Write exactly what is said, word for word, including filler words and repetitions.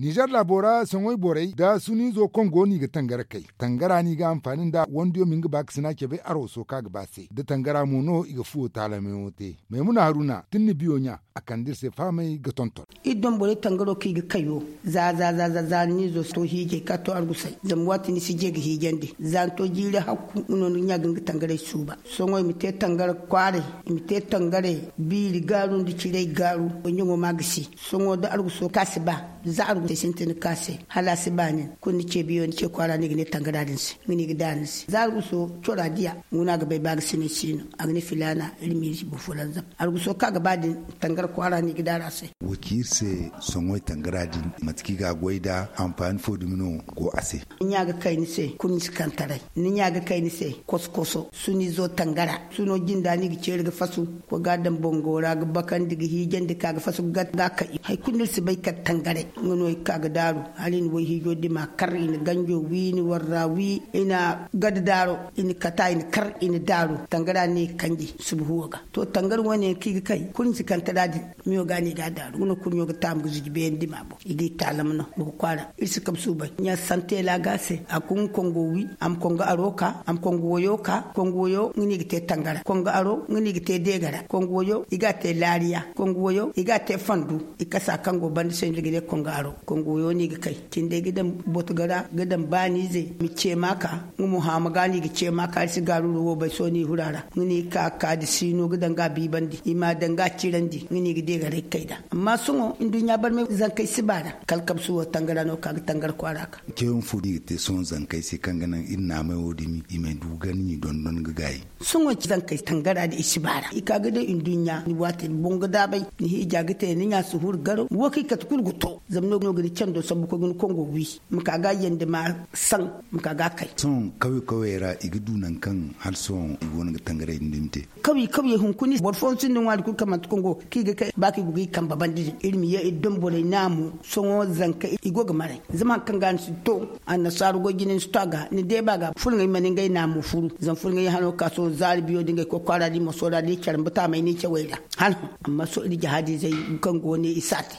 Nizer laabo ra soŋay borey nda suniizo kongo no i ga tangara kay. Tangara no i ga hanfaani nda wandiyo ma nga baakasina cabe arwaso kaŋ a ga ba se da tangara mo no i ga fuwo taalameyaŋo te. Maymuna haruna tun ni biyo ɲa, a kande iri se fahamay ga tonton. Iri doŋ borey tangaro kaŋ i ga kayo za za za za za ni zo si to hiijay ka to argusay zama waati ni si je ga hiijandi za ni to jiiri hakku nga no ni ga ɲa ga nga tangaray suuba. Sohõ i ma te tangara kwaaray, i ma te tangaray biiri gaaru nda ciray gaaru. Ɲaŋo ma gisi sohõ da arguso kaŋ a si ba za arguso sintin kaŋ a se hala a si ba nin kulu ni ce biyo ni ce kwaara no i ga ne tangara din se. Nga no i ga daara ni se za arguso cora diya. Nga no a ga bay ba ga sinay si no a ga ne filaana iri ma iri si boro folanzam. Arguso kaŋ a ga ba din tangara kwaara no i ga daara a se. Wa ci iri se sohõ tangara din mate kaŋ i ga a goy nd'a? Hanfaani fo dumi no go a se? Ni ɲa ga kay ni se kulu ni si kaŋ taray. Ni ɲa ga kay ni se koso koso suniizo tangara suno jinda no i ga ceeri ga fasu. Koy ga a daŋ bango ra ga bakandi ga hiijandi ka ga fasu ga kay hari kulu no iri si bay kala tangaray. Nga no i ga ka ga daaru hala i na wayhiijo dima kar i na ganjo wi i na warra wi i na gada daaro i na kata i na kar i na daaru tangara no i ga kanji suba huwo ga. To tangara wane yaŋ kaŋ i ga kay kulu ni si kaŋ tara din. Miyo ga no i ga a daaru nga no kurɲo ga taamu ga zuji beene dima boŋ i ga i taalam no. Boŋ kwaara iri si kabe suubay ɲa santela ga a se a ga kongo wi a ma kongo aro ka a ma kongo wayo ka kongo wayo nga no i ga te tangara kongo aro nga no i ga te deegara kongo wayo i ga a te laariya kongo wayo i ga a te fandu. I kasa kaŋ go banda se no iri ga ne kongo aro kongo wayo no i ga kay cindey ga daŋ boto ga ra ga daŋ baaniize ma ceema ka. Nga mo haama ga no i ga ceema ka iri si gaaru iri wo bay sohõ no i hura ra nga no i ga ka ga ka da siino ga daŋ ga a biibandi i ma a daŋ ga a cirandi nga no i ga deegaray ga kay nd'a. Amma sohõ nduɲɲa barmay zankey si ba ra kala kabe suwo tangara no ga ka ga tangara kwaara ga. Ceeyaŋ fo no i ga te sohõ zankey se kaŋ ga naŋ iri naamay wo dumi i ma ay du ga ni dondon ga gaayi. Sohõ zankey tangara din i si ba ra i ka ga day nduɲɲa ni waati boŋ ga daabay ni hiija ga te ni ɲa si huru garaw wo kaŋ i kate kulu ga to. Zama no ga ni cando sambu koy ga ni kongo wi ma ka ga a yandi ma saŋ ma ka ga a kay. Sohõ kawye kawyey ra i ga du nangu kaŋ hala sohõ i go no ga tangaray din dumi te. Kawye kawyey hunkuna boro fooyaŋ sinda ŋwaari kulu kaŋ manti kongo kaŋ i ga kay ba kaŋ i go ga i kambe banda din iri ma ye iri daŋ borey naamo. Sohõ zanka i go ga maray zama hari kaŋ ga ni si to annasaaru goy jine ni si to a ga ni deeba ga fulaŋey mana ngey naamo furu zama fulaŋey hano ga ka sohõ zaari biyo da ngey koy kwaara da i moso ra da i care mba taamey no i cawey ra. Hala hõ amma sohõ iri jihaadizey kaŋ go ne i si a te.